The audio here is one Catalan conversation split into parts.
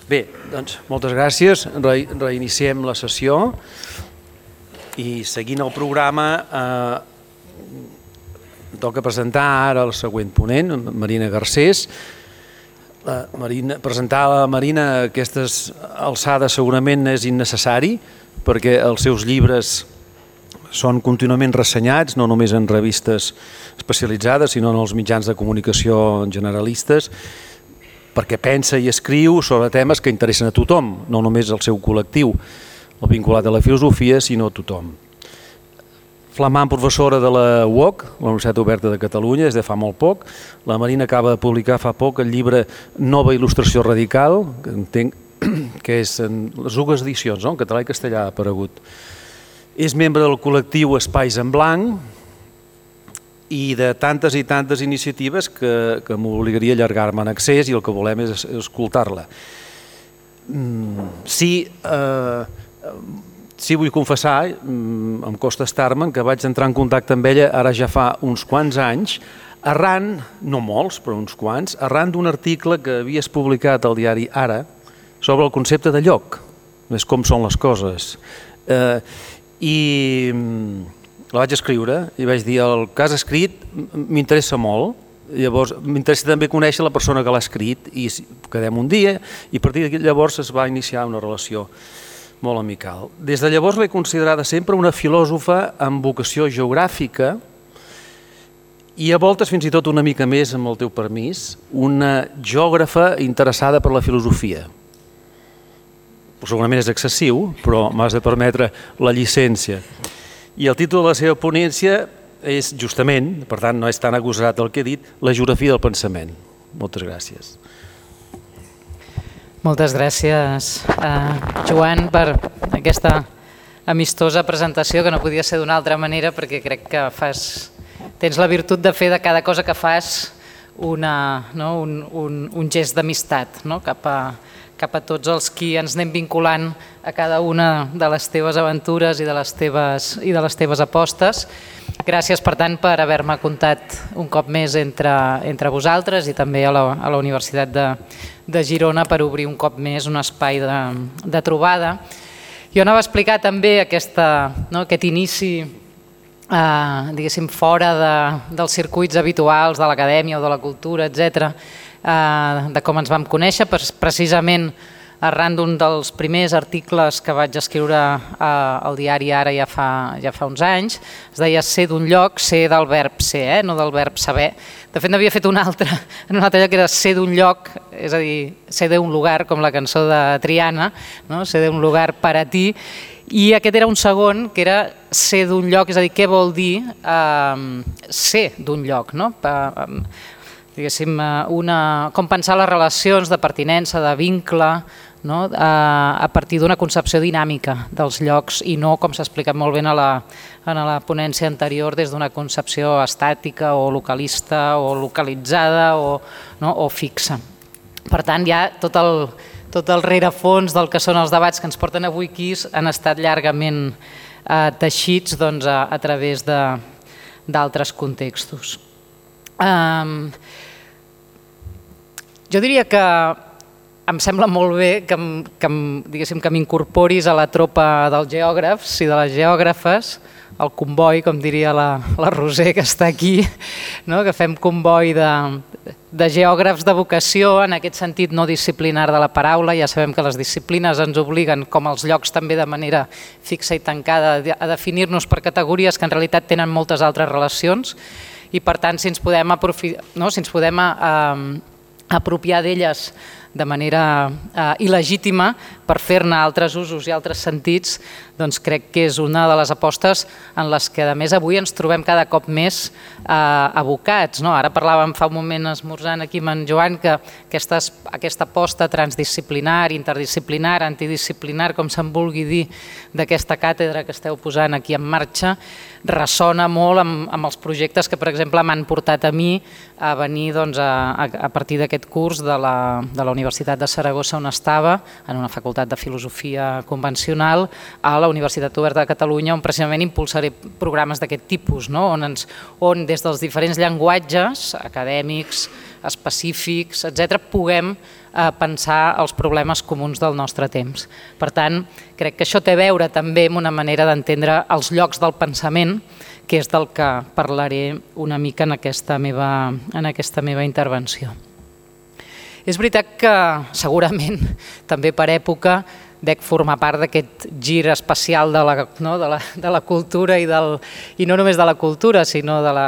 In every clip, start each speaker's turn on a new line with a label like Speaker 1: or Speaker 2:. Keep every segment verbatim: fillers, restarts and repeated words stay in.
Speaker 1: Bé, doncs moltes gràcies. Re reiniciem la sessió i seguint el programa eh, toca presentar ara el següent ponent, Marina Garcés. La Marina, presentar la Marina a aquestes alçades segurament és innecessari perquè els seus llibres són contínuament ressenyats, no només en revistes especialitzades, sinó en els mitjans de comunicació generalistes, perquè pensa i escriu sobre temes que interessen a tothom, no només al seu col·lectiu, el vinculat a la filosofia, sinó a tothom. Flamant professora de la U O C, la Universitat Oberta de Catalunya, des de fa molt poc. La Marina acaba de publicar fa poc el llibre Nova il·lustració radical, que entenc que és en les dues edicions, no? En català i castellà ha aparegut. És membre del col·lectiu Espais en Blanc, i de tantes i tantes iniciatives que, que m'obligaria a allargar-me en accés i el que volem és escoltar-la. Sí, eh, sí vull confessar, em costa estar-me'n, que vaig entrar en contacte amb ella ara ja fa uns quants anys, arran, no molts, però uns quants, arran d'un article que havies publicat al diari Ara sobre el concepte de lloc, és com són les coses. Eh, I... la vaig escriure i vaig dir el que has escrit m'interessa molt, llavors m'interessa també conèixer la persona que l'ha escrit i quedem un dia i a partir d'aquí llavors es va iniciar una relació molt amical. Des de llavors l'he considerada sempre una filòsofa amb vocació geogràfica i a voltes fins i tot una mica més, amb el teu permís, una geògrafa interessada per la filosofia. Segurament és excessiu, però m'has de permetre la llicència. I el títol de la seva ponència és justament, per tant no és tan agosarat el que he dit, la geografia del pensament. Moltes gràcies.
Speaker 2: Moltes gràcies, eh, Joan, per aquesta amistosa presentació que no podia ser d'una altra manera perquè crec que fas, tens la virtut de fer de cada cosa que fas una, no, un, un, un gest d'amistat, no? cap a cap a tots els qui ens anem vinculant a cada una de les teves aventures i de les teves, i de les teves apostes. Gràcies, per tant, per haver-me comptat un cop més entre, entre vosaltres i també a la, a la Universitat de, de Girona per obrir un cop més un espai de, de trobada. Jo anava a explicar també aquesta, no, aquest inici eh, diguéssim, fora de, dels circuits habituals de l'acadèmia o de la cultura, etcètera, de com ens vam conèixer, precisament arran d'un dels primers articles que vaig escriure al diari Ara ja fa, ja fa uns anys. Es deia ser d'un lloc, ser del verb ser, eh? No del verb saber. De fet, n'havia fet un altre, en un altre lloc que era ser d'un lloc, és a dir, ser d'un lugar, com la cançó de Triana, no? Ser d'un lugar per a ti. I aquest era un segon, que era ser d'un lloc, és a dir, què vol dir eh, ser d'un lloc, no? Diguéssim, una, com pensar les relacions de pertinença, de vincle, no? a, a partir d'una concepció dinàmica dels llocs i no, com s'ha explicat molt bé a la, en la ponència anterior, des d'una concepció estàtica o localista o localitzada o, no? o fixa. Per tant, ja tot el, tot el rerefons del que són els debats que ens porten avui aquí han estat llargament eh, teixits doncs, a, a través d'altres contextos. Um, jo diria que em sembla molt bé que, que, diguéssim, que m'incorporis a la tropa dels geògrafs i de les geògrafes, el comboi, com diria la, la Roser que està aquí, no? Que fem comboi de, de geògrafs de vocació, en aquest sentit no disciplinar de la paraula. Ja sabem que les disciplines ens obliguen, com els llocs també de manera fixa i tancada, a definir-nos per categories que en realitat tenen moltes altres relacions. I per tant, si ens podem, no? si ens podem eh, apropiar d'elles de manera eh, il·legítima per fer-ne altres usos i altres sentits, doncs crec que és una de les apostes en les que, a més, avui ens trobem cada cop més eh, abocats. No? Ara parlàvem fa un moment esmorzant aquí amb en Joan que aquesta, aquesta aposta transdisciplinar, interdisciplinar, antidisciplinar, com se'n vulgui dir, d'aquesta càtedra que esteu posant aquí en marxa, ressona molt amb, amb els projectes que, per exemple, m'han portat a mi a venir doncs, a, a partir d'aquest curs de la, de la Universitat Universitat de Saragossa on estava, en una facultat de filosofia convencional, a la Universitat Oberta de Catalunya, on precisament impulsaré programes d'aquest tipus, no? on, ens, on des dels diferents llenguatges acadèmics, específics, etcètera, puguem eh, pensar els problemes comuns del nostre temps. Per tant, crec que això té a veure també amb una manera d'entendre els llocs del pensament, que és del que parlaré una mica en aquesta meva, en aquesta meva intervenció. És veritat que segurament també per època dec formar part d'aquest gir especial de la, no, de la, de la cultura i, del, i no només de la cultura, sinó de, la,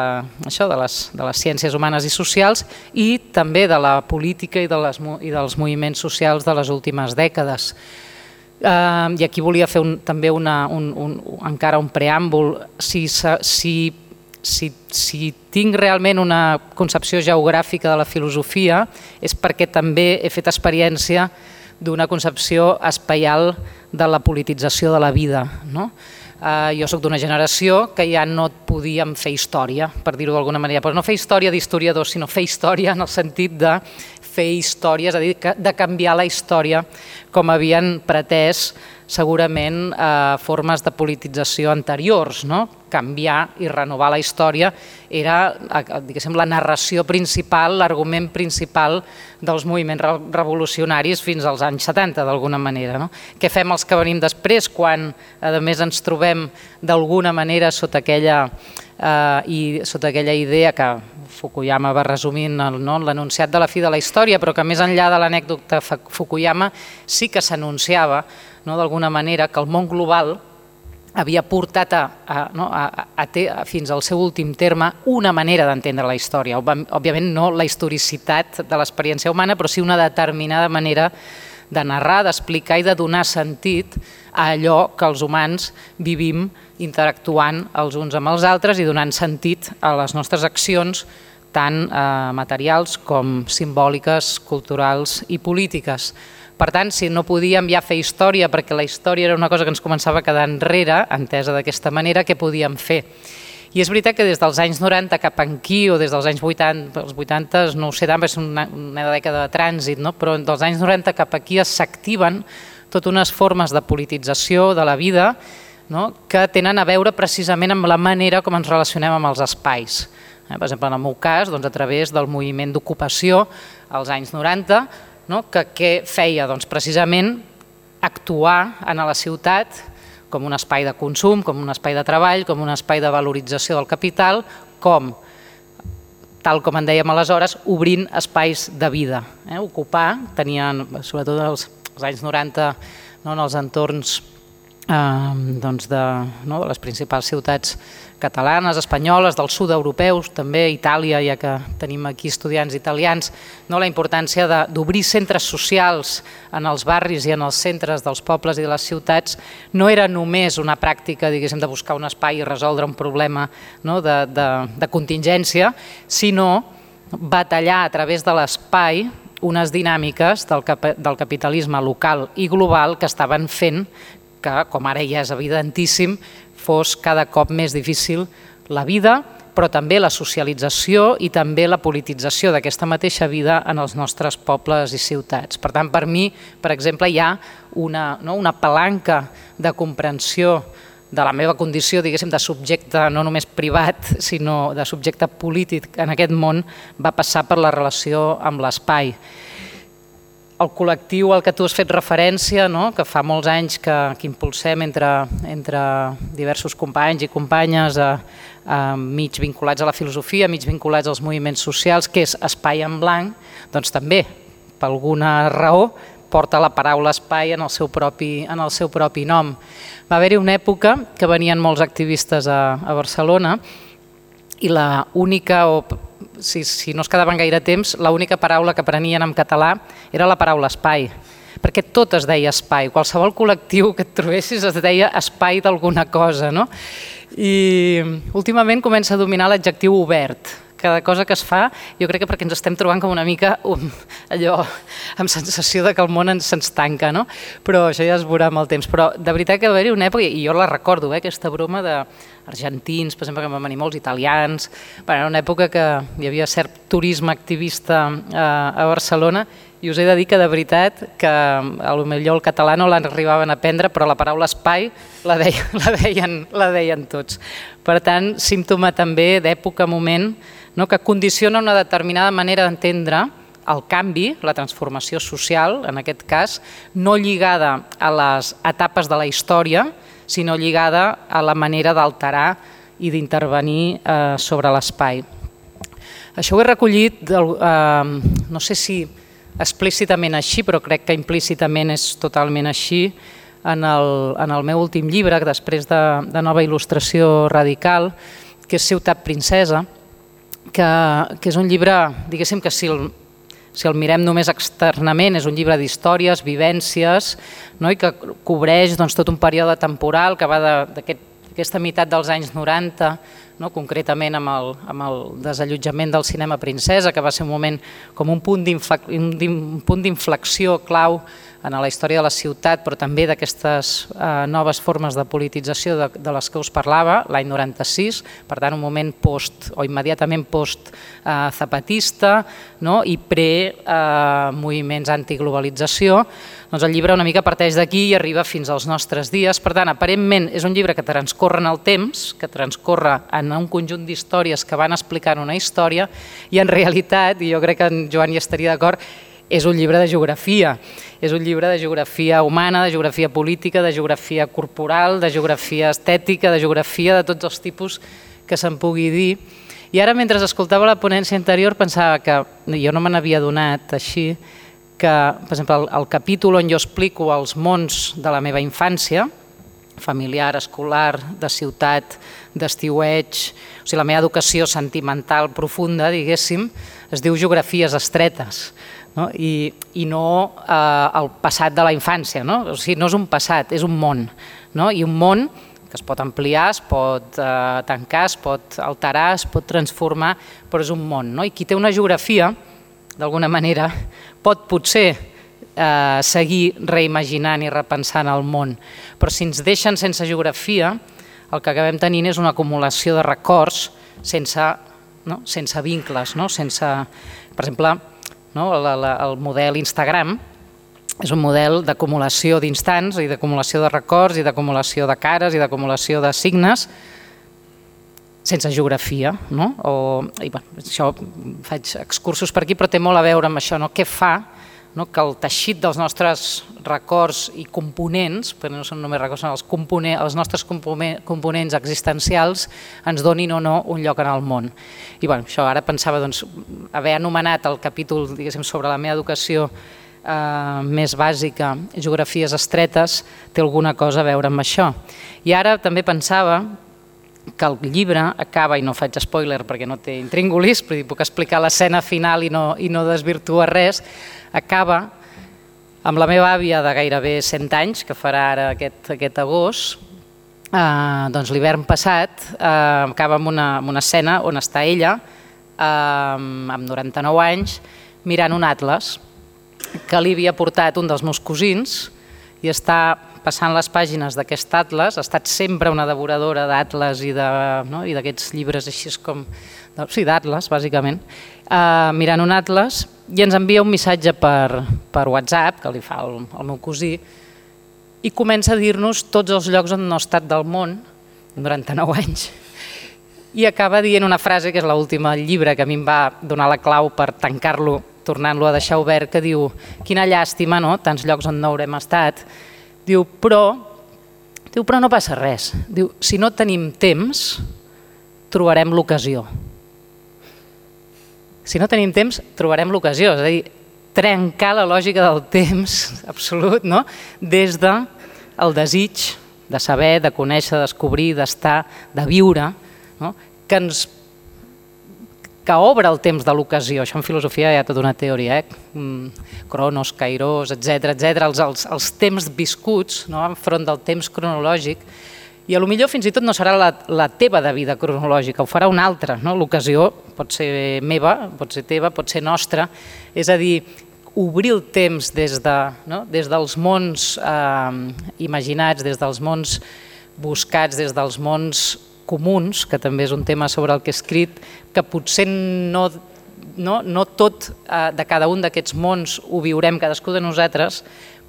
Speaker 2: això, de, les, de les ciències humanes i socials i també de la política i, de les, i dels moviments socials de les últimes dècades. Uh, I aquí volia fer un, també una, un, un, encara un preàmbul. Si, si, si, si tinc realment una concepció geogràfica de la filosofia és perquè també he fet experiència d'una concepció espaial de la politització de la vida. No? Uh, jo soc d'una generació que ja no podíem fer història, per dir-ho d'alguna manera, però no fer història d'historiadors, sinó fer història en el sentit de fer història, és a dir, de canviar la història com havien pretès segurament eh, formes de politització anteriors. No? Canviar i renovar la història era diguéssim, la narració principal, l'argument principal dels moviments revolucionaris fins als anys setanta, d'alguna manera. No? Què fem els que venim després quan, a més, ens trobem d'alguna manera sota aquella, eh, i, sota aquella idea que Fukuyama va resumint no, l'enunciat de la fi de la història, però que més enllà de l'anècdota Fukuyama sí que s'anunciava no, d'alguna manera que el món global havia portat a, a, no, a, a, a, fins al seu últim terme una manera d'entendre la història. Òbviament no la historicitat de l'experiència humana, però sí una determinada manera de narrar, d'explicar i de donar sentit a allò que els humans vivim interactuant els uns amb els altres i donant sentit a les nostres accions tant eh, materials com simbòliques, culturals i polítiques. Per tant, si no podíem ja fer història perquè la història era una cosa que ens començava a quedar enrere, entesa d'aquesta manera, què podíem fer? I és veritat que des dels anys noranta cap aquí, o des dels anys vuitanta, els vuitanta, no ho sé tant, és una, una dècada de trànsit, no? Però dels anys noranta cap aquí s'activen totes unes formes de politització de la vida no? que tenen a veure precisament amb la manera com ens relacionem amb els espais. Per exemple, en el meu cas, doncs, a través del moviment d'ocupació als anys noranta, no? que què feia? Doncs precisament actuar en la ciutat com un espai de consum, com un espai de treball, com un espai de valorització del capital, com, tal com en dèiem aleshores, obrint espais de vida. Eh? Ocupar, tenien, sobretot als, als anys noranta, no? en els entorns eh, doncs de, no? de les principals ciutats catalanes, espanyoles, del sud europeus, també Itàlia, ja que tenim aquí estudiants italians, no? la importància d'obrir centres socials en els barris i en els centres dels pobles i de les ciutats no era només una pràctica diguéssim, de buscar un espai i resoldre un problema no? de, de, de contingència, sinó batallar a través de l'espai unes dinàmiques del, cap, del capitalisme local i global que estaven fent que, com ara ja és evidentíssim, fos cada cop més difícil la vida, però també la socialització i també la politització d'aquesta mateixa vida en els nostres pobles i ciutats. Per tant, per mi, per exemple, hi ha una, no, una palanca de comprensió de la meva condició, diguéssim, de subjecte no només privat, sinó de subjecte polític en aquest món, va passar per la relació amb l'espai. El col·lectiu al que tu has fet referència, no? que fa molts anys que, que impulsem entre, entre diversos companys i companyes a, a mig vinculats a la filosofia, mig vinculats als moviments socials, que és Espai en Blanc, doncs també, per alguna raó, porta la paraula espai en el seu propi, en el seu propi nom. Va haver-hi una època que venien molts activistes a, a Barcelona i la única, o si, si no es quedaven gaire temps, l'única paraula que prenien en català era la paraula espai, perquè tot es deia espai, qualsevol col·lectiu que et trobessis es deia espai d'alguna cosa. No? I últimament comença a dominar l'adjectiu obert. Cada cosa que es fa, jo crec que perquè ens estem trobant com una mica um, allò amb sensació de que el món se'ns tanca, no? Però això ja es veurà amb el temps. Però de veritat que va haver-hi una època, i jo la recordo, eh, aquesta broma d'argentins, per exemple, que van venir molts italians. Bueno, era una època que hi havia cert turisme activista a, a Barcelona, i us he de dir que de veritat que potser el català no l'arribaven a aprendre, però la paraula espai la deien, la deien, la deien tots. Per tant, símptoma també d'època, moment, no, que condiciona una determinada manera d'entendre el canvi, la transformació social, en aquest cas, no lligada a les etapes de la història, sinó lligada a la manera d'alterar i d'intervenir eh, sobre l'espai. Això ho he recollit, del, eh, no sé si explícitament així, però crec que implícitament és totalment així, en el, en el meu últim llibre, després de, de Nova Il·lustració Radical, que és Ciutat Princesa, que, que és un llibre, diguéssim que si el, si el mirem només externament, és un llibre d'històries, vivències, no? I que cobreix doncs, tot un període temporal que va d'aquesta meitat dels anys noranta, no? Concretament amb el, amb el desallotjament del cinema Princesa, que va ser un moment com un punt d'inflexió clau en la història de la ciutat, però també d'aquestes eh, noves formes de politització de, de les que us parlava, l'any noranta-sis, per tant un moment post o immediatament post-zapatista, eh, no? I pre-moviments eh, antiglobalització. Doncs el llibre una mica parteix d'aquí i arriba fins als nostres dies. Per tant, aparentment és un llibre que transcorre en el temps, que transcorre en un conjunt d'històries que van explicant una història, i en realitat, i jo crec que en Joan hi estaria d'acord, és un llibre de geografia. És un llibre de geografia humana, de geografia política, de geografia corporal, de geografia estètica, de geografia de tots els tipus que se'n pugui dir. I ara, mentre escoltava la ponència anterior, pensava que, jo no me n'havia donat així, que, per exemple, el, el capítol on jo explico els mons de la meva infància, familiar, escolar, de ciutat, d'estiueig, o sigui, la meva educació sentimental profunda, diguéssim, es diu Geografies estretes, no? I, i no eh, el passat de la infància, no? O sigui, no és un passat, és un món, no? I un món que es pot ampliar, es pot eh, tancar, es pot alterar, es pot transformar, però és un món, no? I qui té una geografia, d'alguna manera, pot potser eh, seguir reimaginant i repensant el món, però si ens deixen sense geografia, el que acabem tenint és una acumulació de records sense, no? sense vincles, no? sense, per exemple, no? la, la, el model Instagram és un model d'acumulació d'instants i d'acumulació de records i d'acumulació de cares i d'acumulació de signes sense geografia, no? O, i, bueno, això faig excursos per aquí, però té molt a veure amb això, no? Què fa, no? Que el teixit dels nostres records i components, perquè no són només records, són els, components, els nostres components existencials ens donin o no un lloc en el món. I bueno, això ara pensava doncs, haver anomenat el capítol diguéssim, sobre la meva educació eh, més bàsica, geografies estretes, té alguna cosa a veure amb això. I ara també pensava que el llibre acaba, i no faig spoiler perquè no té intríngulis, però puc explicar l'escena final i no, i no desvirtua res, acaba amb la meva àvia de gairebé cent anys, que farà ara aquest, aquest agost, eh, doncs l'hivern passat, eh, acaba amb una, amb una escena on està ella, eh, amb noranta-nou anys, mirant un atles que li havia portat un dels meus cosins i està passant les pàgines d'aquest atles, ha estat sempre una devoradora d'atles i d'aquests no? llibres així com, sí, d'atles, bàsicament, uh, mirant un atles i ens envia un missatge per, per WhatsApp, que li fa el, el meu cosí, i comença a dir-nos tots els llocs on no ha estat del món, noranta-nou anys, i acaba dient una frase, que és l'última del llibre, que a mi em va donar la clau per tancar-lo, tornant-lo a deixar obert, que diu, quina llàstima, no? Tants llocs on no haurem estat. Diu, però, diu, però no passa res. Diu, si no tenim temps, trobarem l'ocasió. Si no tenim temps, trobarem l'ocasió. És a dir, trencar la lògica del temps absolut, no? Des del desig de saber, de conèixer, de descobrir, d'estar, de viure, no? Que ens que obre el temps de l'ocasió. Això en filosofia hi ha tota una teoria, eh? Cronos, Kairos, etcètera, etcètera, els, els, els temps viscuts, no? Enfront del temps cronològic, i potser fins i tot no serà la, la teva de vida cronològica, ho farà una altra, no? L'ocasió pot ser meva, pot ser teva, pot ser nostra, és a dir, obrir el temps des, de, no? des dels mons eh, imaginats, des dels mons buscats, des dels mons comuns, que també és un tema sobre el que he escrit, que potser no, no, no tot eh, de cada un d'aquests mons ho viurem cadascú de nosaltres,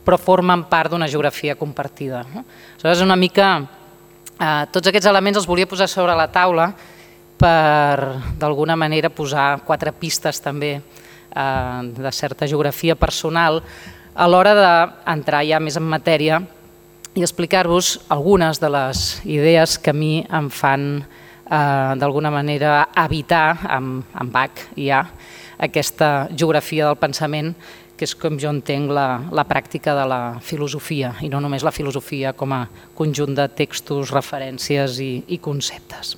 Speaker 2: però formen part d'una geografia compartida. No? Aleshores, una mica, eh, tots aquests elements els volia posar sobre la taula per, d'alguna manera, posar quatre pistes també eh, de certa geografia personal a l'hora d'entrar ja més en matèria i explicar-vos algunes de les idees que a mi em fan eh, d'alguna manera habitar amb, amb Bach ja aquesta geografia del pensament, que és com jo entenc la, la pràctica de la filosofia, i no només la filosofia com a conjunt de textos, referències i, i conceptes.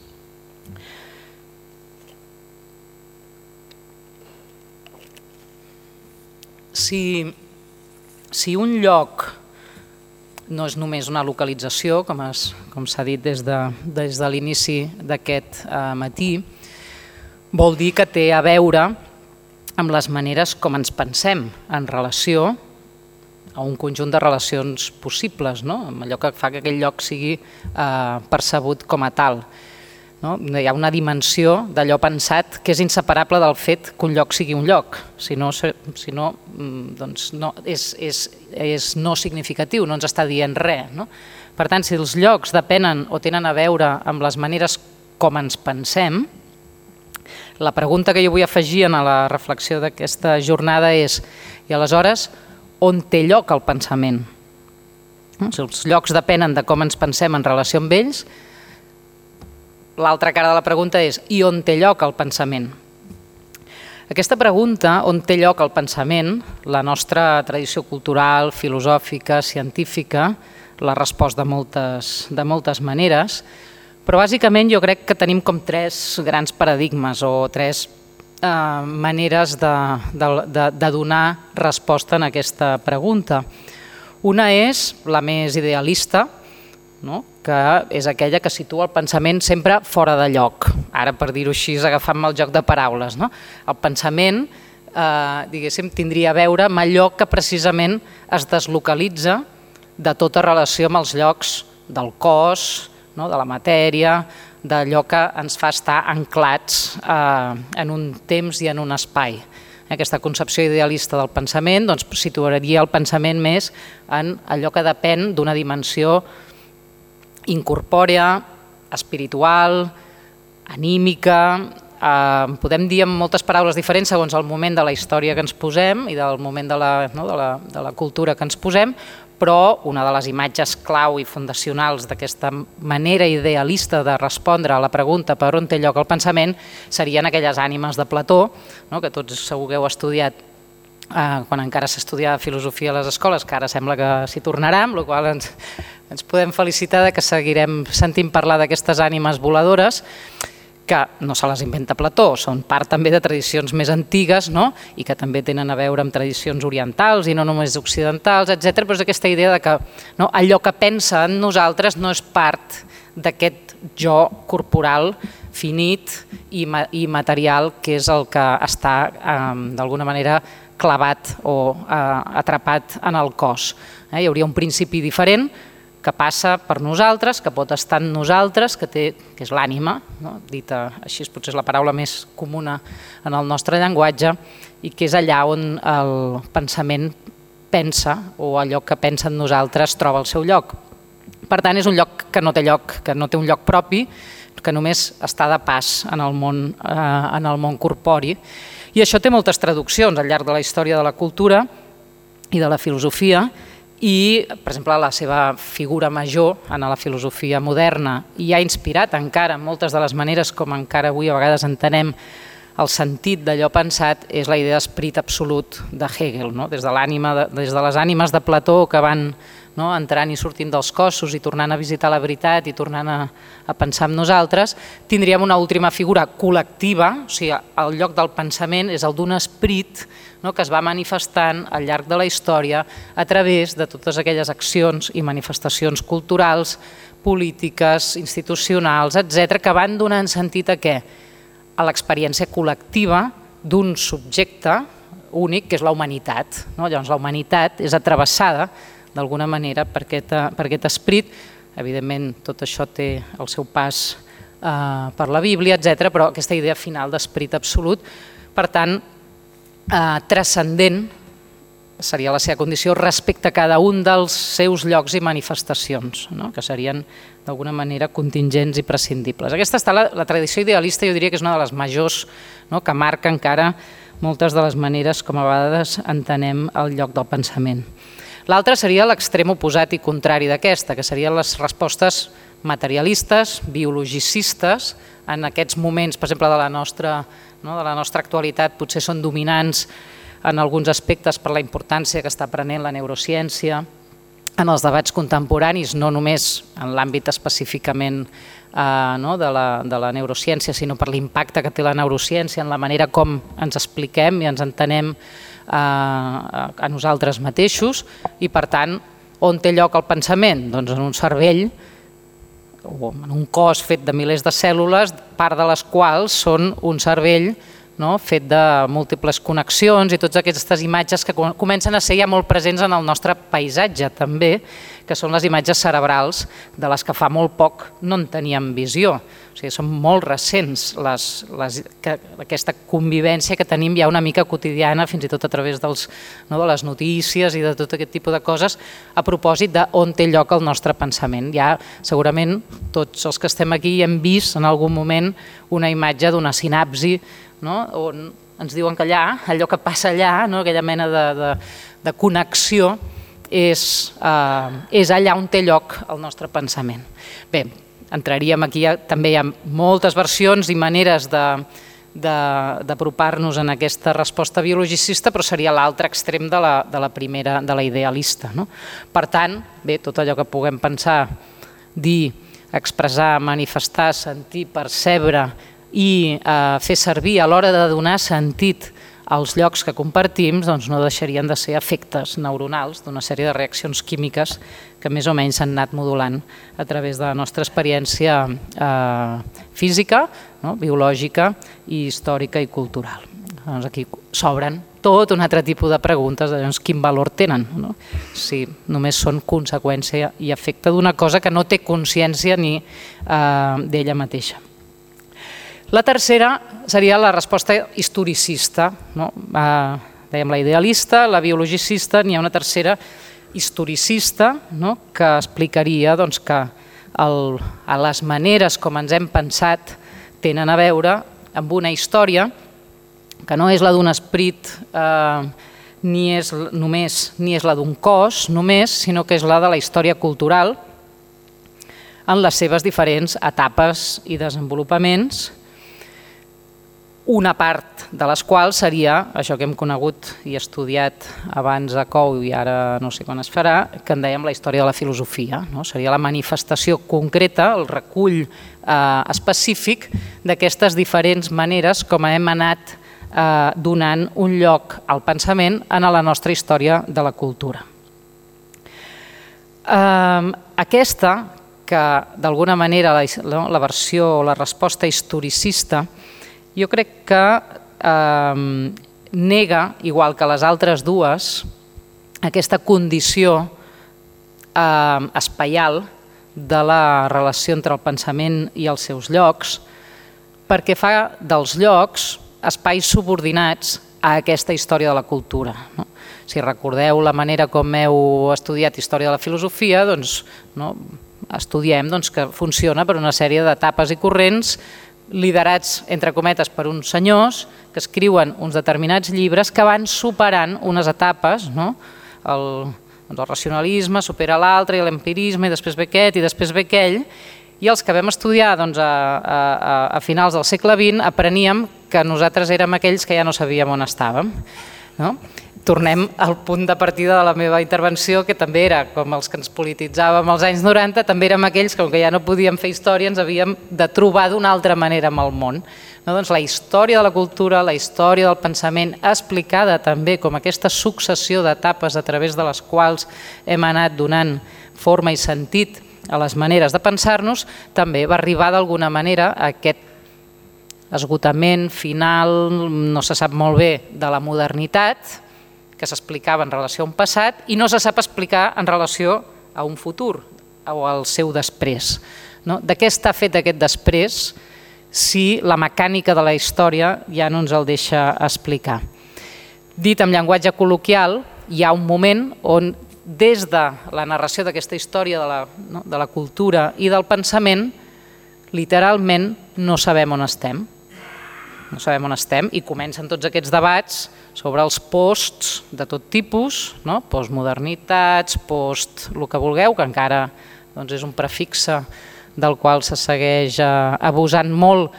Speaker 2: Si, si un lloc no és només una localització, com, es, com s'ha dit des de, des de l'inici d'aquest eh, matí, vol dir que té a veure amb les maneres com ens pensem en relació a un conjunt de relacions possibles, no? Amb allò que fa que aquell lloc sigui eh, percebut com a tal. No? Hi ha una dimensió d'allò pensat que és inseparable del fet que un lloc sigui un lloc, si no, si no, doncs no és, és, és no significatiu, no ens està dient res. No? Per tant, si els llocs depenen o tenen a veure amb les maneres com ens pensem, la pregunta que jo vull afegir a la reflexió d'aquesta jornada és, i aleshores, on té lloc el pensament? Si els llocs depenen de com ens pensem en relació amb ells, l'altra cara de la pregunta és, i on té lloc el pensament? Aquesta pregunta, on té lloc el pensament, la nostra tradició cultural, filosòfica, científica, l'ha respost de moltes, de moltes maneres, però bàsicament jo crec que tenim com tres grans paradigmes o tres eh, maneres de, de, de, de donar resposta a aquesta pregunta. Una és la més idealista, no? Que és aquella que situa el pensament sempre fora de lloc. Ara, per dir-ho així, agafant-me el joc de paraules. No? El pensament eh, diguéssim, tindria a veure amb allò que precisament es deslocalitza de tota relació amb els llocs del cos, no? De la matèria, d'allò que ens fa estar anclats eh, en un temps i en un espai. Aquesta concepció idealista del pensament doncs, situaria el pensament més en allò que depèn d'una dimensió incorpòrea, espiritual, anímica, eh, podem dir amb moltes paraules diferents segons el moment de la història que ens posem i del moment de la, no, de la, de la cultura que ens posem, però una de les imatges clau i fundacionals d'aquesta manera idealista de respondre a la pregunta per on té lloc el pensament serien aquelles ànimes de Plató, no, que tots segur que heu estudiat Uh, quan encara s'estudiava filosofia a les escoles, que ara sembla que s'hi tornarà, amb la qual cosa ens, ens podem felicitar de que seguirem sentint parlar d'aquestes ànimes voladores, que no se les inventa Plató, són part també de tradicions més antigues, no? I que també tenen a veure amb tradicions orientals i no només occidentals, etcètera. Però és aquesta idea de que no, allò que pensa en nosaltres no és part d'aquest jo corporal finit i, ma i material que és el que està eh, d'alguna manera clavat o eh, atrapat en el cos. Eh? Hi hauria un principi diferent que passa per nosaltres, que pot estar en nosaltres, que, té, que és l'ànima, no? Dita així potser és la paraula més comuna en el nostre llenguatge, i que és allà on el pensament pensa o allò que pensa en nosaltres troba el seu lloc. Per tant, és un lloc que no té lloc, que no té un lloc propi, que només està de pas en el món, eh, en el món corpori. I això té moltes traduccions al llarg de la història de la cultura i de la filosofia i, per exemple, la seva figura major en la filosofia moderna i ha inspirat encara moltes de les maneres com encara avui a vegades entenem el sentit d'allò pensat és la idea d'esperit absolut de Hegel, no? Des de l'ànima, des de les ànimes de Plató que van no, entrant i sortint dels cossos i tornant a visitar la veritat i tornant a, a pensar en nosaltres, tindríem una última figura col·lectiva, o sigui, el lloc del pensament és el d'un esperit no, que es va manifestant al llarg de la història a través de totes aquelles accions i manifestacions culturals, polítiques, institucionals, etcètera, que van donant sentit a què? A l'experiència col·lectiva d'un subjecte, únic, que és la humanitat. Llavors, la humanitat és atravessada d'alguna manera per aquest esperit. Evidentment, tot això té el seu pas per la Bíblia, etcètera, però aquesta idea final d'esperit absolut, per tant, transcendent seria la seva condició respecte a cada un dels seus llocs i manifestacions, que serien d'alguna manera contingents i prescindibles. Aquesta està la tradició idealista, jo diria que és una de les majors, que marca encara moltes de les maneres com a vegades entenem el lloc del pensament. L'altra seria l'extrem oposat i contrari d'aquesta, que serien les respostes materialistes, biologicistes, en aquests moments, per exemple, de la nostra, de la nostra actualitat, potser són dominants en alguns aspectes per la importància que està prenent la neurociència en els debats contemporanis, no només en l'àmbit específicament de la neurociència, sinó per l'impacte que té la neurociència en la manera com ens expliquem i ens entenem a nosaltres mateixos i, per tant, on té lloc el pensament? Doncs en un cervell o en un cos fet de milers de cèl·lules, part de les quals són un cervell fet de múltiples connexions i totes aquestes imatges que comencen a ser ja molt presents en el nostre paisatge també, que són les imatges cerebrals de les que fa molt poc no en teníem visió. O sigui, són molt recents aquesta convivència que tenim ja una mica quotidiana, fins i tot a través de les notícies i de tot aquest tipus de coses, a propòsit d'on té lloc el nostre pensament. Ja segurament tots els que estem aquí hem vist en algun moment una imatge d'una sinapsi on ens diuen que allà, allò que passa allà, aquella mena de connexió, és allà on té lloc el nostre pensament. Bé, entraríem aquí, també hi ha moltes versions i maneres d'apropar-nos en aquesta resposta biologicista, però seria l'altre extrem de la primera, de la idealista. Per tant, bé, tot allò que puguem pensar, dir, expressar, manifestar, sentir, percebre i fer servir a l'hora de donar sentit als llocs que compartim, doncs no deixarien de ser efectes neuronals d'una sèrie de reaccions químiques que més o menys s'han anat modulant a través de la nostra experiència física, biològica, i històrica i cultural. Doncs aquí s'obren tot un altre tipus de preguntes de quin valor tenen, si només són conseqüència i efecte d'una cosa que no té consciència ni d'ella mateixa. La tercera seria la resposta historicista. Dèiem la idealista, la biologicista, n'hi ha una tercera historicista que explicaria que les maneres com ens hem pensat tenen a veure amb una història que no és la d'un esperit ni és només ni és la d'un cos només, sinó que és la de la història cultural en les seves diferents etapes i desenvolupaments, una part de les quals seria això que hem conegut i estudiat abans a C O U i ara no sé quan es farà, que en dèiem la història de la filosofia. Seria la manifestació concreta, el recull específic d'aquestes diferents maneres com hem anat donant un lloc al pensament en la nostra història de la cultura. Aquesta, que d'alguna manera la versió o la resposta historicista, jo crec que nega, igual que les altres dues, aquesta condició espaial de la relació entre el pensament i els seus llocs, perquè fa dels llocs espais subordinats a aquesta història de la cultura. Si recordeu la manera com heu estudiat història de la filosofia, doncs estudiem que funciona per una sèrie d'etapes i corrents liderats, entre cometes, per uns senyors que escriuen uns determinats llibres que van superant unes etapes, el racionalisme supera l'altre i l'empirisme i després ve aquest i després ve aquell, i els que vam estudiar a finals del segle vint apreníem que nosaltres érem aquells que ja no sabíem on estàvem. Tornem al punt de partida de la meva intervenció, que també era com els que ens polititzàvem als anys noranta, també érem aquells que, com que ja no podíem fer història, ens havíem de trobar d'una altra manera amb el món. Doncs la història de la cultura, la història del pensament, explicada també com aquesta successió d'etapes a través de les quals hem anat donant forma i sentit a les maneres de pensar-nos, també va arribar d'alguna manera a aquest esgotament final, no se sap molt bé, de la modernitat, que s'explicava en relació a un passat, i no se sap explicar en relació a un futur o al seu després. De què està fet aquest després si la mecànica de la història ja no ens el deixa explicar? Dit amb llenguatge col·loquial, hi ha un moment on des de la narració d'aquesta història de la, no, de la cultura i del pensament, literalment no sabem on estem. No sabem on estem i comencen tots aquests debats sobre els posts de tot tipus, no? Postmodernitats, post el que vulgueu, que encara doncs, és un prefixe del qual se segueix eh, abusant molt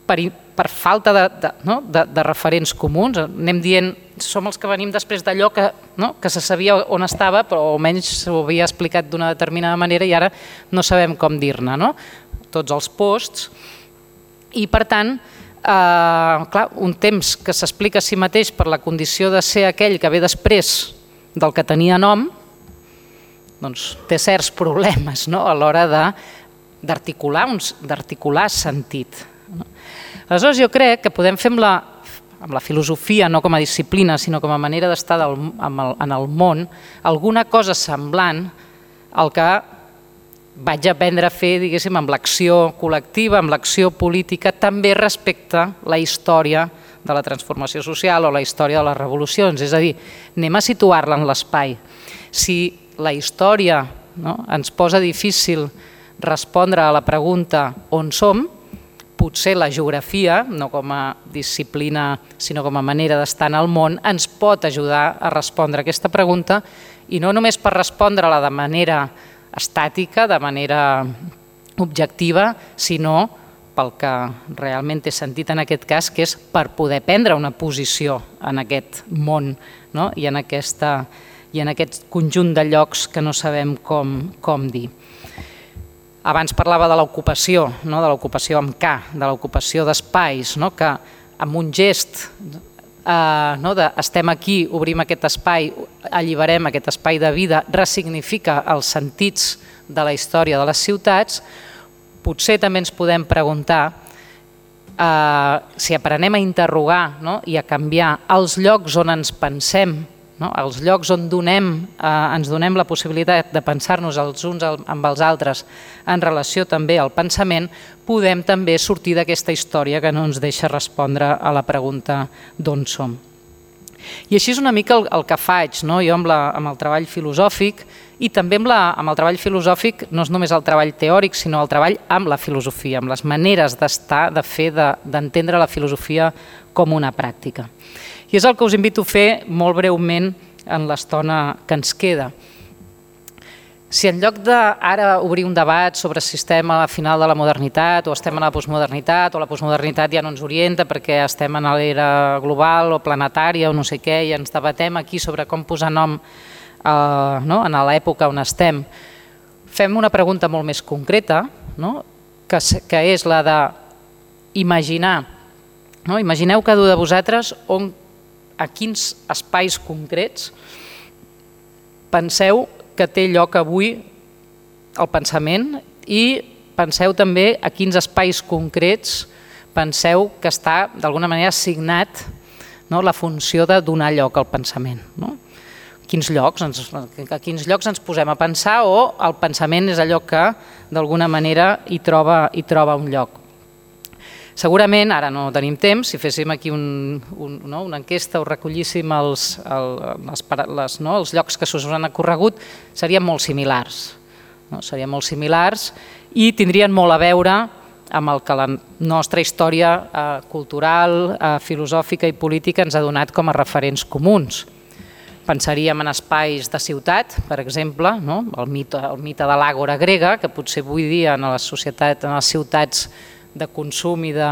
Speaker 2: per, per falta de, de, no? de, de referents comuns. Anem dient, som els que venim després d'allò que, no? que se sabia on estava, però almenys s'ho havia explicat d'una determinada manera i ara no sabem com dir-ne, no? Tots els posts. I per tant, eh, clar, un temps que s'explica a si mateix per la condició de ser aquell que ve després del que tenia nom, doncs té certs problemes, no? A l'hora de d'articular d'articular sentit. Aleshores jo crec que podem fer amb la, amb la filosofia, no com a disciplina, sinó com a manera d'estar en el món, alguna cosa semblant al que vaig aprendre a fer, diguéssim, amb l'acció col·lectiva, amb l'acció política, també respecte a la història de la transformació social o la història de les revolucions. És a dir, anem a situar-la en l'espai. Si la història, no, ens posa difícil respondre a la pregunta on som, potser la geografia, no com a disciplina, sinó com a manera d'estar en el món, ens pot ajudar a respondre aquesta pregunta i no només per respondre-la de manera estàtica, de manera objectiva, sinó pel que realment té sentit en aquest cas, que és per poder prendre una posició en aquest món, no? I en aquesta, i en aquest conjunt de llocs que no sabem com, com dir. Abans parlava de l'ocupació, no? De l'ocupació amb K, de l'ocupació d'espais, no? Que amb un gest eh, no? de estem aquí, obrim aquest espai, alliberem aquest espai de vida, ressignifica els sentits de la història de les ciutats, potser també ens podem preguntar eh, si aprenem a interrogar, no? I a canviar els llocs on ens pensem, no? Els llocs on donem, eh, ens donem la possibilitat de pensar-nos els uns amb els altres en relació també al pensament, podem també sortir d'aquesta història que no ens deixa respondre a la pregunta d'on som. I així és una mica el, el que faig, no? Jo amb, la, amb el treball filosòfic i també amb, la, amb el treball filosòfic no és només el treball teòric, sinó el treball amb la filosofia, amb les maneres d'estar, de fer, d'entendre la filosofia com una pràctica. I és el que us invito a fer molt breument en l'estona que ens queda. Si en lloc d'ara obrir un debat sobre si estem a la final de la modernitat o estem a la postmodernitat o la postmodernitat ja no ens orienta perquè estem en l'era global o planetària o no sé què i ens debatem aquí sobre com posar nom eh, no? en l'època on estem, fem una pregunta molt més concreta, no? que, que és la d'imaginar. No? Imagineu cada un de vosaltres on, a quins espais concrets penseu que té lloc avui el pensament i penseu també a quins espais concrets penseu que està d'alguna manera assignat, no, la funció de donar lloc al pensament. No? Quins llocs ens, a quins llocs ens posem a pensar o el pensament és allò que d'alguna manera hi troba, hi troba un lloc. Segurament, ara no tenim temps, si féssim aquí un, un, no, una enquesta o recollíssim els, el, les, les, no, els llocs que s'us han ocorregut, serien molt similars. No? Serien molt similars i tindrien molt a veure amb el que la nostra història eh, cultural, eh, filosòfica i política ens ha donat com a referents comuns. Pensaríem en espais de ciutat, per exemple, no? el, mite, el mite de l'àgora grega, que potser avui dia en la societat, en les ciutats de consum i de,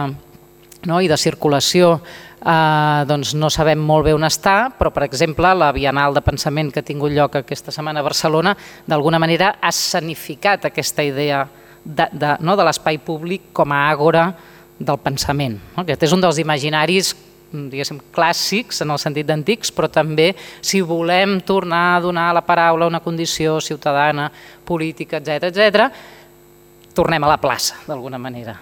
Speaker 2: no? I de circulació eh, doncs no sabem molt bé on està, però per exemple la Bienal de Pensament que ha tingut lloc aquesta setmana a Barcelona d'alguna manera ha escenificat aquesta idea de, de, no? de l'espai públic com a àgora del pensament. No? Aquest és un dels imaginaris diguéssim, clàssics en el sentit d'antics, però també si volem tornar a donar a la paraula una condició ciutadana, política, etcètera, etcètera, tornem a la plaça, d'alguna manera.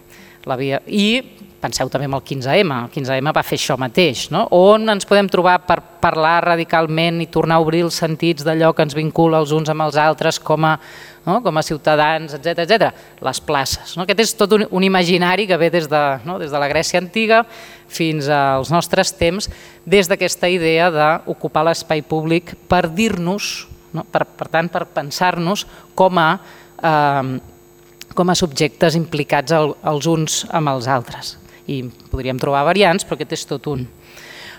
Speaker 2: La via. I penseu també en el quinze ema, el quinze ema va fer això mateix, no? On ens podem trobar per parlar radicalment i tornar a obrir els sentits d'allò que ens vincula els uns amb els altres com a, no? com a ciutadans, etcètera, etcètera. Les places. No? Aquest és tot un, un imaginari que ve des de, no? des de la Grècia antiga fins als nostres temps, des d'aquesta idea d'ocupar l'espai públic per dir-nos, no? per, per tant, per pensar-nos com a, eh, com a subjectes implicats el, els uns amb els altres. I podríem trobar variants, però aquest és tot un.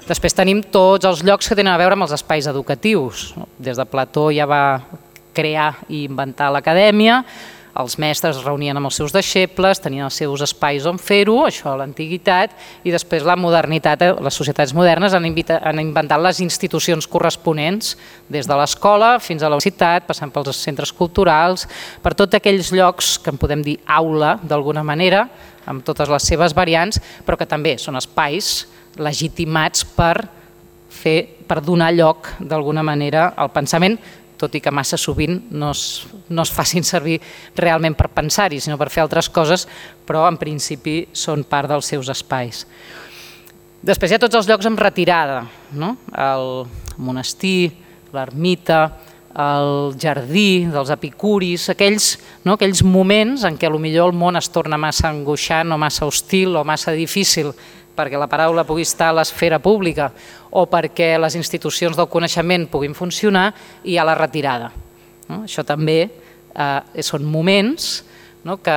Speaker 2: Després tenim tots els llocs que tenen a veure amb els espais educatius. Des de Plató ja va crear i inventar l'acadèmia, els mestres es reunien amb els seus deixebles, tenien els seus espais on fer-ho, això a l'antiguitat, i després la modernitat, les societats modernes han, han inventat les institucions corresponents, des de l'escola fins a la universitat, passant pels centres culturals, per tots aquells llocs que en podem dir aula d'alguna manera, amb totes les seves variants, però que també són espais legitimats per, fer, per donar lloc d'alguna manera al pensament, tot i que massa sovint no es, no es facin servir realment per pensar-hi, sinó per fer altres coses, però en principi són part dels seus espais. Després hi ha tots els llocs amb retirada, no? El monestir, l'ermita, el jardí dels epicuris, aquells, no? aquells moments en què potser el món es torna massa angoixant o massa hostil o massa difícil perquè la paraula pugui estar a l'esfera pública o perquè les institucions del coneixement puguin funcionar, i hi ha la retirada. No? Això també eh, són moments, no? que,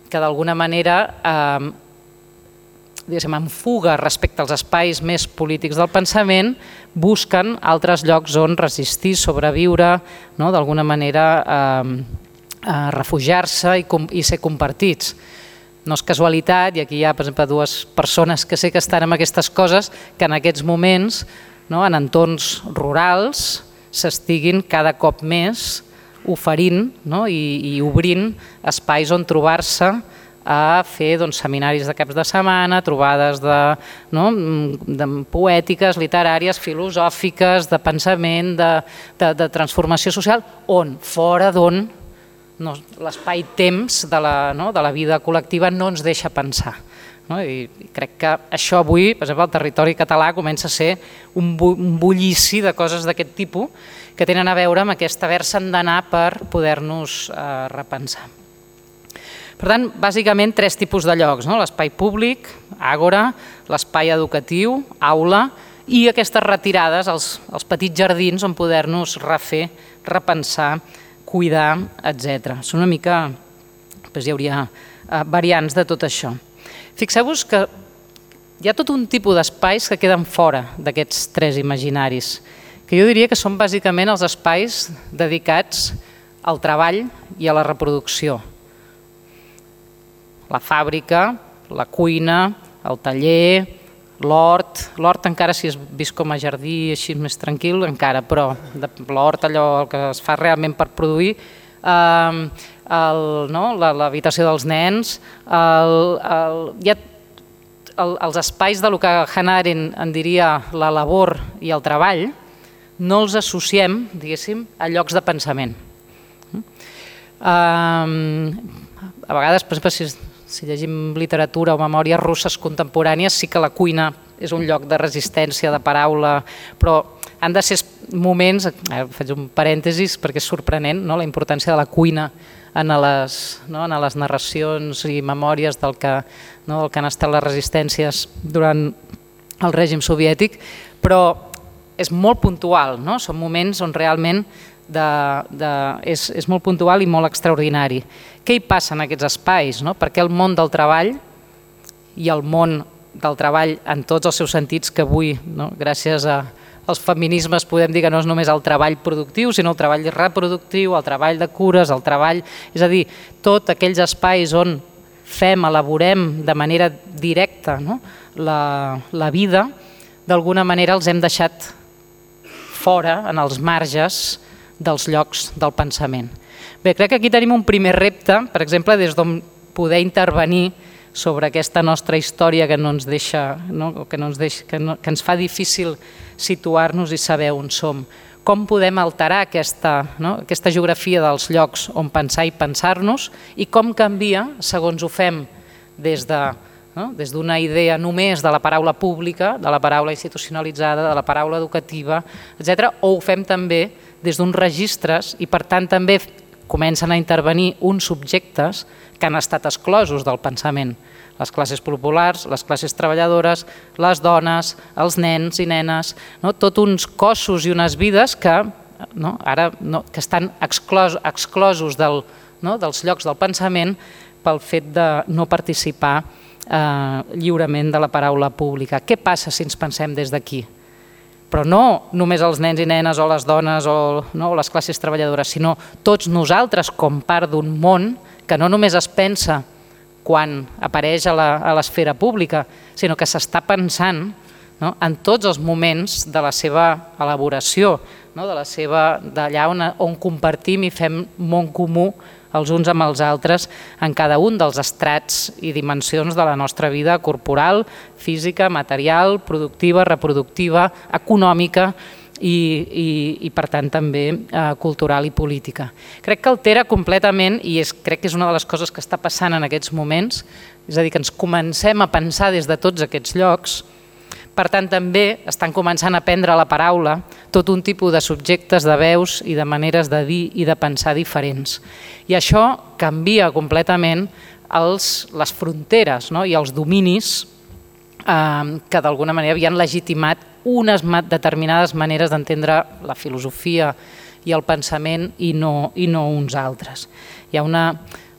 Speaker 2: que d'alguna manera eh, diguéssim, en fuga respecte als espais més polítics del pensament, busquen altres llocs on resistir, sobreviure, no? d'alguna manera eh, eh, refugiar-se i, i ser compartits. No és casualitat, i aquí hi ha, per exemple, dues persones que sé que estan en aquestes coses, que en aquests moments, no, en entorns rurals, s'estiguin cada cop més oferint, no, i, i obrint espais on trobar-se a fer doncs, seminaris de caps de setmana, trobades de, no, de poètiques, literàries, filosòfiques, de pensament, de, de, de transformació social, on, fora d'on, no, l'espai-temps de, la, no, de la vida col·lectiva no ens deixa pensar. No? I crec que això avui, per exemple, el territori català comença a ser un, bu un bullici de coses d'aquest tipus que tenen a veure amb aquest haver-se'n d'anar per poder-nos eh, repensar. Per tant, bàsicament tres tipus de llocs, no? L'espai públic, àgora, l'espai educatiu, aula, i aquestes retirades, els, els petits jardins on poder-nos refer, repensar, cuidar, etcètera. Són una mica, doncs hi hauria eh, variants de tot això. Fixeu-vos que hi ha tot un tipus d'espais que queden fora d'aquests tres imaginaris, que jo diria que són bàsicament els espais dedicats al treball i a la reproducció. La fàbrica, la cuina, el taller, l'hort, l'hort encara si és vist com a jardí així més tranquil, encara, però l'hort allò el que es fa realment per produir, eh, el, no, l'habitació dels nens, el, el, hi ha el, els espais de lo que Hannah Arendt en diria la labor i el treball, no els associem, diguéssim, a llocs de pensament. Eh, a vegades, per exemple, si Si llegim literatura o memòries russes contemporànies, sí que la cuina és un lloc de resistència, de paraula, però han de ser moments, eh, faig un parèntesis perquè és sorprenent, no? La importància de la cuina en les, no? en les narracions i memòries del que, no? del que han estat les resistències durant el règim soviètic, però és molt puntual, no? Són moments on realment De, de, és, és molt puntual i molt extraordinari. Què hi passa en aquests espais? No? Perquè el món del treball i el món del treball en tots els seus sentits, que avui, no? gràcies a, als feminismes, podem dir que no és només el treball productiu, sinó el treball reproductiu, el treball de cures, el treball... És a dir, tots aquells espais on fem, elaborem de manera directa, no? la, la vida, d'alguna manera els hem deixat fora, en els marges, dels llocs del pensament. Bé, crec que aquí tenim un primer repte, per exemple, des d'on poder intervenir sobre aquesta nostra història que no ens deixa, no? que, no ens deixa que, no, que ens fa difícil situar-nos i saber on som. Com podem alterar aquesta, no? aquesta geografia dels llocs on pensar i pensar-nos, i com canvia, segons ho fem des de no? Des d'una idea només de la paraula pública, de la paraula institucionalitzada, de la paraula educativa, etcètera, o ho fem també des d'uns registres i per tant també comencen a intervenir uns subjectes que han estat exclosos del pensament. Les classes populars, les classes treballadores, les dones, els nens i nenes, no? Tot uns cossos i unes vides que, no? Ara, no, que estan exclos, exclosos del, no? dels llocs del pensament pel fet de no participar eh, lliurement de la paraula pública. Què passa si ens pensem des d'aquí? Però no només els nens i nenes o les dones o, no? o les classes treballadores, sinó tots nosaltres com part d'un món que no només es pensa quan apareix a l'esfera pública, sinó que s'està pensant, no? en tots els moments de la seva elaboració, no? de la seva d'allà on, on compartim i fem món comú els uns amb els altres en cada un dels estrats i dimensions de la nostra vida corporal, física, material, productiva, reproductiva, econòmica i, i, i per tant també eh, cultural i política. Crec que altera completament i és, crec que és una de les coses que està passant en aquests moments, és a dir, que ens comencem a pensar des de tots aquests llocs. Per tant, també estan començant a prendre la paraula tot un tipus de subjectes, de veus i de maneres de dir i de pensar diferents. I això canvia completament els, les fronteres, no? i els dominis eh, que d'alguna manera havien legitimat unes determinades maneres d'entendre la filosofia i el pensament i no, i no uns altres. Hi ha una,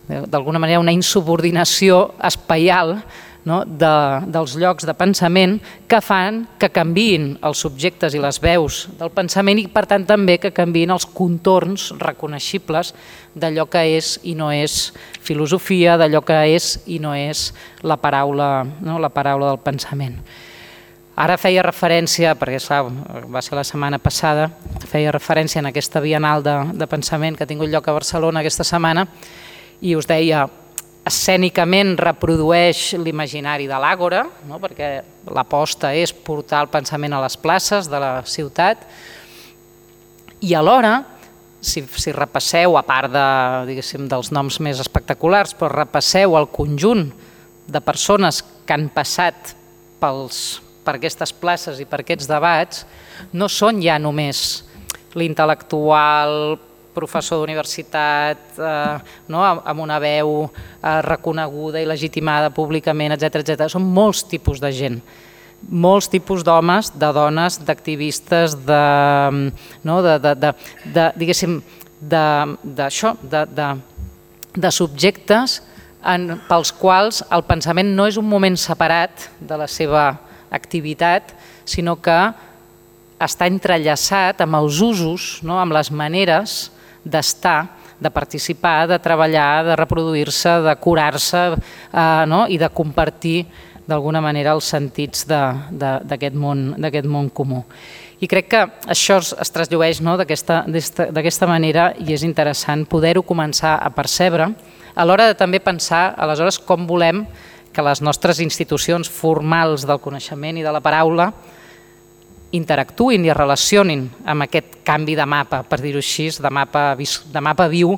Speaker 2: d'alguna manera una insubordinació espaial, no? de, dels llocs de pensament que fan que canviïn els subjectes i les veus del pensament i per tant també que canviïn els contorns reconeixibles d'allò que és i no és filosofia, d'allò que és i no és la paraula, no? la paraula del pensament. Ara feia referència, perquè va ser la setmana passada, feia referència en aquesta Bienal de, de pensament que ha tingut lloc a Barcelona aquesta setmana i us deia, escènicament reprodueix l'imaginari de l'àgora, no? perquè l'aposta és portar el pensament a les places de la ciutat i alhora, si, si repasseu, a part de, diguéssim, dels noms més espectaculars, però repasseu el conjunt de persones que han passat pels per aquestes places i per aquests debats, no són ja només l'intel·lectual, professor d'universitat, eh, no? amb una veu eh, reconeguda i legitimada públicament, etcètera, etcètera. Són molts tipus de gent, molts tipus d'homes, de dones, d'activistes, de, no? de, de, de, de, diguéssim, d'això, de, de, de subjectes en, pels quals el pensament no és un moment separat de la seva activitat, sinó que està entrellaçat amb els usos, no? amb les maneres d'estar, de participar, de treballar, de reproduir-se, de curar-se eh, no? i de compartir d'alguna manera els sentits d'aquest món, d'aquest món comú. I crec que això es trasllueix, no? d'aquesta manera i és interessant poder-ho començar a percebre a l'hora de també pensar aleshores com volem que les nostres institucions formals del coneixement i de la paraula interactuïn i es relacionin amb aquest canvi de mapa, per dir-ho així, de mapa, de mapa viu,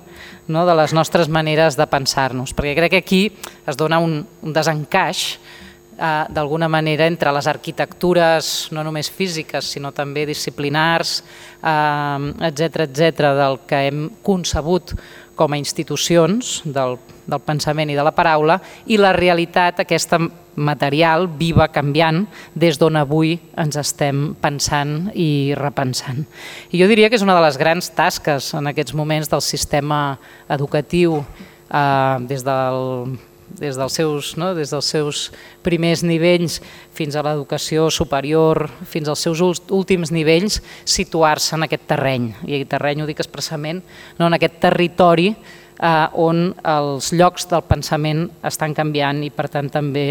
Speaker 2: no? de les nostres maneres de pensar-nos. Perquè crec que aquí es dona un, un desencaix eh, d'alguna manera entre les arquitectures no només físiques sinó també disciplinars, eh, etcètera, etcètera, del que hem concebut com a institucions del, del pensament i de la paraula i la realitat aquesta material, viva, canviant, des d'on avui ens estem pensant i repensant. I jo diria que és una de les grans tasques en aquests moments del sistema educatiu eh, des del des dels seus, no? des dels seus primers nivells fins a l'educació superior, fins als seus últims nivells, situar-se en aquest terreny. I aquest terreny ho dic expressament, no? en aquest territori eh, on els llocs del pensament estan canviant i per tant també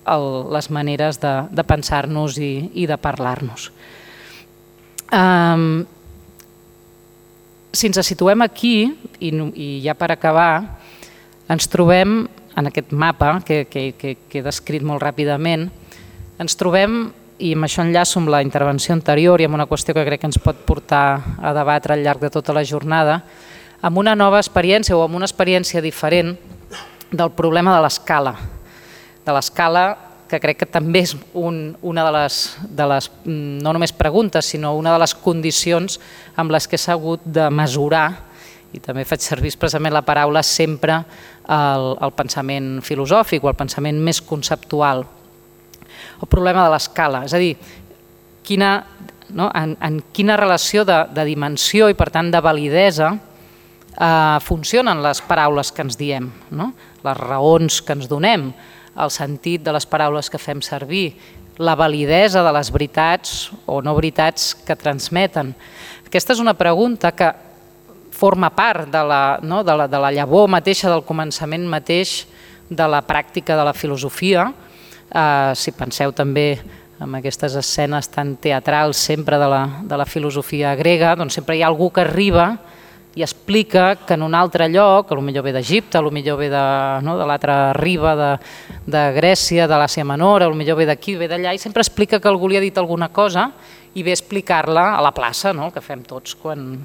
Speaker 2: el, les maneres de, de pensar-nos i, i de parlar-nos. Um, si ens situem aquí, i, i ja per acabar, ens trobem en aquest mapa que, que, que, que he descrit molt ràpidament, ens trobem, i amb això enllaço amb la intervenció anterior i amb una qüestió que crec que ens pot portar a debatre al llarg de tota la jornada, amb una nova experiència o amb una experiència diferent del problema de l'escala. de l'escala, que crec que també és un, una de les, de les, no només preguntes, sinó una de les condicions amb les que s'ha hagut de mesurar, i també faig servir expressament la paraula sempre el, el pensament filosòfic o el pensament més conceptual. El problema de l'escala, és a dir, quina, no, en, en quina relació de, de dimensió i per tant de validesa eh, funcionen les paraules que ens diem, no? Les raons que ens donem, el sentit de les paraules que fem servir, la validesa de les veritats o no veritats que transmeten. Aquesta és una pregunta que forma part de la, no, de la, de la llavor mateixa, del començament mateix de la pràctica de la filosofia. Eh, si penseu també en aquestes escenes tan teatrals sempre de la, de la filosofia grega, doncs sempre hi ha algú que arriba i explica que en un altre lloc, potser ve d'Egipte, potser ve de, no, de l'altra riba de, de Grècia, de l'Àsia Menor, potser ve d'aquí, ve d'allà, i sempre explica que algú li ha dit alguna cosa i ve a explicar-la a la plaça, no? El que fem tots quan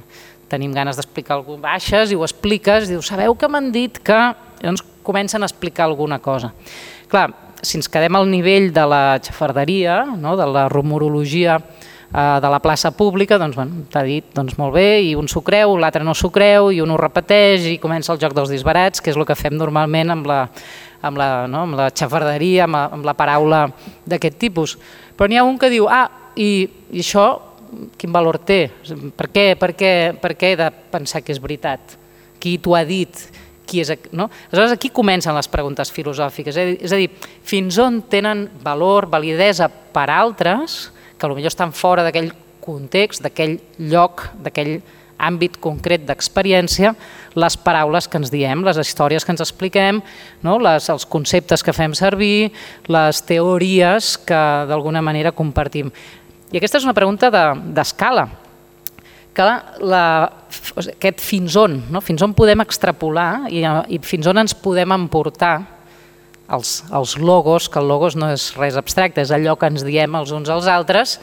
Speaker 2: tenim ganes d'explicar alguna cosa, baixes i ho expliques, dius, sabeu que m'han dit que... Llavors comencen a explicar alguna cosa. Clar, si ens quedem al nivell de la xafarderia, no? De la rumorologia de la plaça pública, doncs bueno, t'ha dit doncs molt bé, i un s'ho creu, l'altre no s'ho creu, i un ho repeteix, i comença el joc dels disbarats, que és el que fem normalment amb la, amb la, no? amb la xafarderia, amb la, amb la paraula d'aquest tipus. Però n'hi ha un que diu, ah, i, i això quin valor té? Per què, per, què, per què he de pensar que és veritat? Qui t'ho ha dit? Qui és, no? Aleshores aquí comencen les preguntes filosòfiques, és a dir, fins on tenen valor, validesa per altres, que potser estan fora d'aquell context, d'aquell lloc, d'aquell àmbit concret d'experiència, les paraules que ens diem, les històries que ens expliquem, no? les, els conceptes que fem servir, les teories que d'alguna manera compartim. I aquesta és una pregunta d'escala, que la, aquest fins on, no? Fins on podem extrapolar i, i fins on ens podem emportar Els, els logos, que el logos no és res abstracte, és allò que ens diem els uns als altres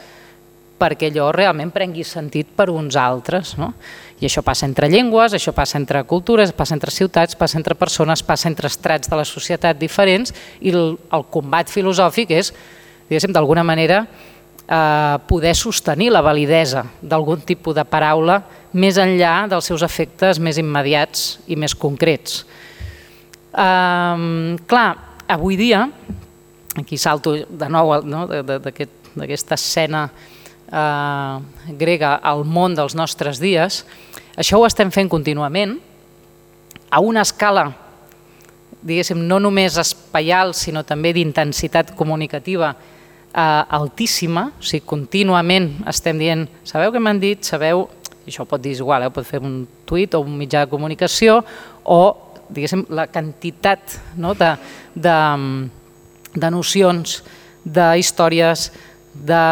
Speaker 2: perquè allò realment prengui sentit per uns altres. No? I això passa entre llengües, això passa entre cultures, passa entre ciutats, passa entre persones, passa entre estrats de la societat diferents, i el, el combat filosòfic és, diguéssim, d'alguna manera eh, poder sostenir la validesa d'algun tipus de paraula més enllà dels seus efectes més immediats i més concrets. Eh, clar, avui dia, aquí salto de nou no, d'aquesta escena eh, grega al món dels nostres dies, això ho estem fent contínuament, a una escala, diguéssim, no només espaial, sinó també d'intensitat comunicativa eh, altíssima, o sigui, contínuament estem dient, sabeu què m'han dit, sabeu, i això ho pot dir igual, eh, pot fer un tuit o un mitjà de comunicació, o diguéssim, la quantitat no, de, de, de nocions, d'històries, de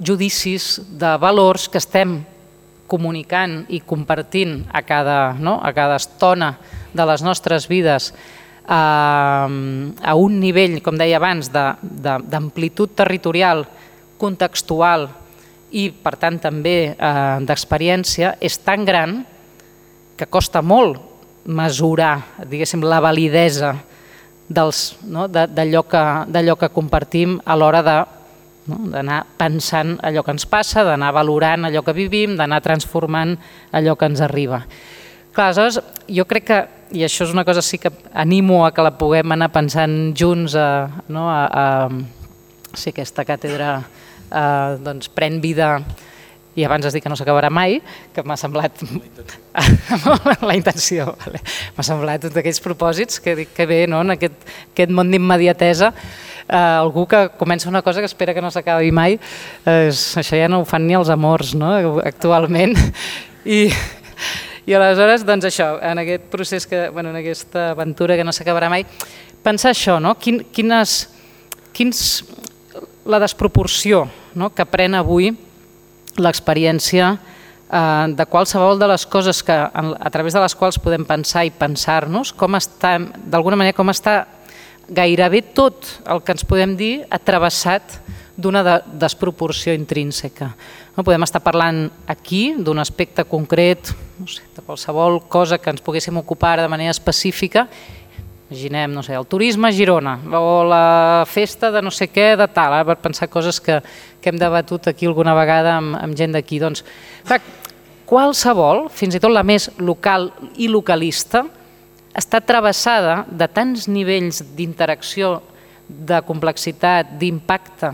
Speaker 2: judicis, de valors que estem comunicant i compartint a cada, no, a cada estona de les nostres vides eh, a un nivell, com deia abans, d'amplitud territorial, contextual i, per tant, també eh, d'experiència, és tan gran que costa molt mesurar, diguéssim, la validesa dels, no, d'allò que, d'allò que compartim a l'hora de, no, d'anar pensant allò que ens passa, d'anar valorant allò que vivim, d'anar transformant allò que ens arriba. Clar, aleshores, jo crec que, i això és una cosa sí que animo a que la puguem anar pensant junts, a, no, a, a si aquesta càtedra eh, doncs, pren vida, i abans has dit que no s'acabarà mai, que m'ha semblat... La intenció. Vale. M'ha semblat tots aquells propòsits que dic que bé, no? En aquest, aquest món d'immediatesa, eh, algú que comença una cosa que espera que no s'acabi mai, eh, això ja no ho fan ni els amors, no? Actualment. I, i aleshores, doncs això, en aquest procés, que, bueno, en aquesta aventura que no s'acabarà mai, pensar això, no? Quin, quines, quins, la desproporció, no? Que pren avui l'experiència eh, de qualsevol de les coses que, a través de les quals podem pensar i pensar-nos, com està, d'alguna manera, com està gairebé tot el que ens podem dir atravessat d'una de, desproporció intrínseca. No, podem estar parlant aquí d'un aspecte concret, no sé, de qualsevol cosa que ens poguéssim ocupar de manera específica, imaginem, no sé, el turisme a Girona o la festa de no sé què de tal, ara per pensar coses que, que hem debatut aquí alguna vegada amb, amb gent d'aquí. Doncs, clar, qualsevol, fins i tot la més local i localista, està travessada de tants nivells d'interacció, de complexitat, d'impacte,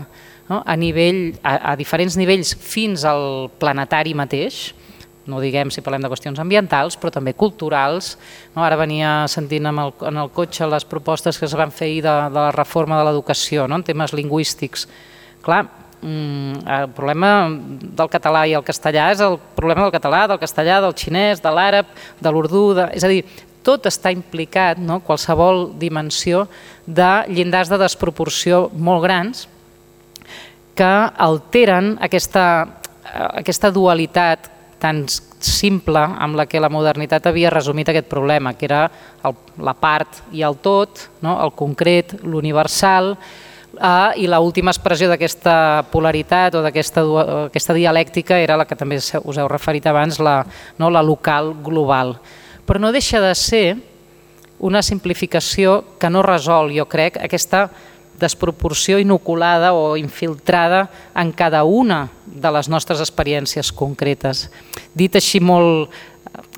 Speaker 2: no? a, nivell, a, a diferents nivells fins al planetari mateix, no diguem si parlem de qüestions ambientals, però també culturals. No? Ara venia sentint en el, en el cotxe les propostes que es van fer ahir de, de la reforma de l'educació, no? en temes lingüístics. Clar, el problema del català i el castellà és el problema del català, del castellà, del xinès, de l'àrab, de l'urdú, de... és a dir, tot està implicat, no? qualsevol dimensió de llindars de desproporció molt grans que alteren aquesta, aquesta dualitat tan simple amb la que la modernitat havia resumit aquest problema, que era el, la part i el tot, no? el concret, l'universal, eh, i l'última expressió d'aquesta polaritat o d'aquesta dialèctica era la que també us heu referit abans, la, no? la local global. Però no deixa de ser una simplificació que no resol, jo crec, aquesta desproporció inoculada o infiltrada en cada una de les nostres experiències concretes. Dit així molt,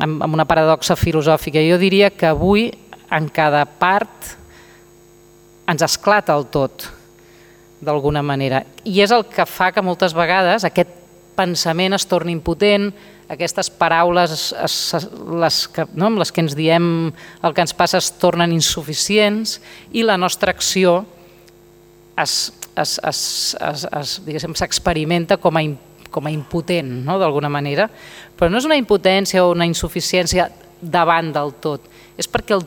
Speaker 2: amb una paradoxa filosòfica, jo diria que avui en cada part ens esclata el tot, d'alguna manera. I és el que fa que moltes vegades aquest pensament es torni impotent, aquestes paraules es, les que, no, amb les que ens diem el que ens passa es tornen insuficients i la nostra acció s'experimenta com, com a impotent, no? d'alguna manera, però no és una impotència o una insuficiència davant del tot, és perquè el,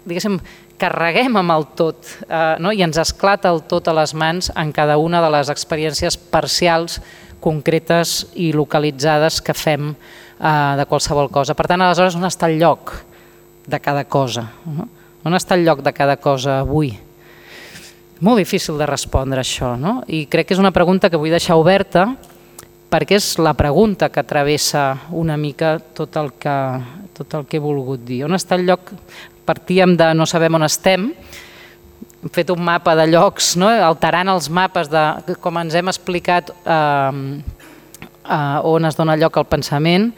Speaker 2: diguéssim, carreguem amb el tot, eh, no? i ens esclata el tot a les mans en cada una de les experiències parcials, concretes i localitzades que fem eh, de qualsevol cosa. Per tant, aleshores, on està el lloc de cada cosa? No? On està el lloc de cada cosa avui? Molt difícil de respondre això, no? I crec que és una pregunta que vull deixar oberta perquè és la pregunta que travessa una mica tot el que, tot el que he volgut dir. On està el lloc? Partíem de no sabem on estem, hem fet un mapa de llocs, no? alterant els mapes de com ens hem explicat eh, eh, on es dona lloc al pensament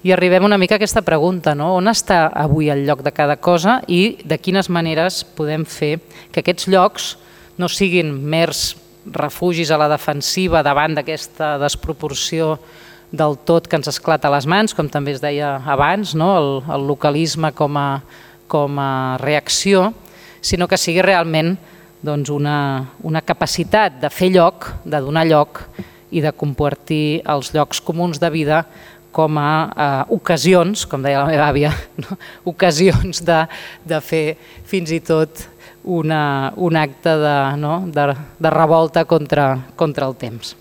Speaker 2: i arribem una mica a aquesta pregunta, no? On està avui el lloc de cada cosa i de quines maneres podem fer que aquests llocs no siguin mers refugis a la defensiva davant d'aquesta desproporció del tot que ens esclata a les mans, com també es deia abans, no? el, el localisme com a, com a reacció, sinó que sigui realment doncs, una, una capacitat de fer lloc, de donar lloc i de compartir els llocs comuns de vida com a eh, ocasions, com deia la meva àvia, no? ocasions de, de fer fins i tot una, un acte de, no? de, de revolta contra, contra el temps.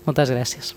Speaker 2: Moltes gràcies.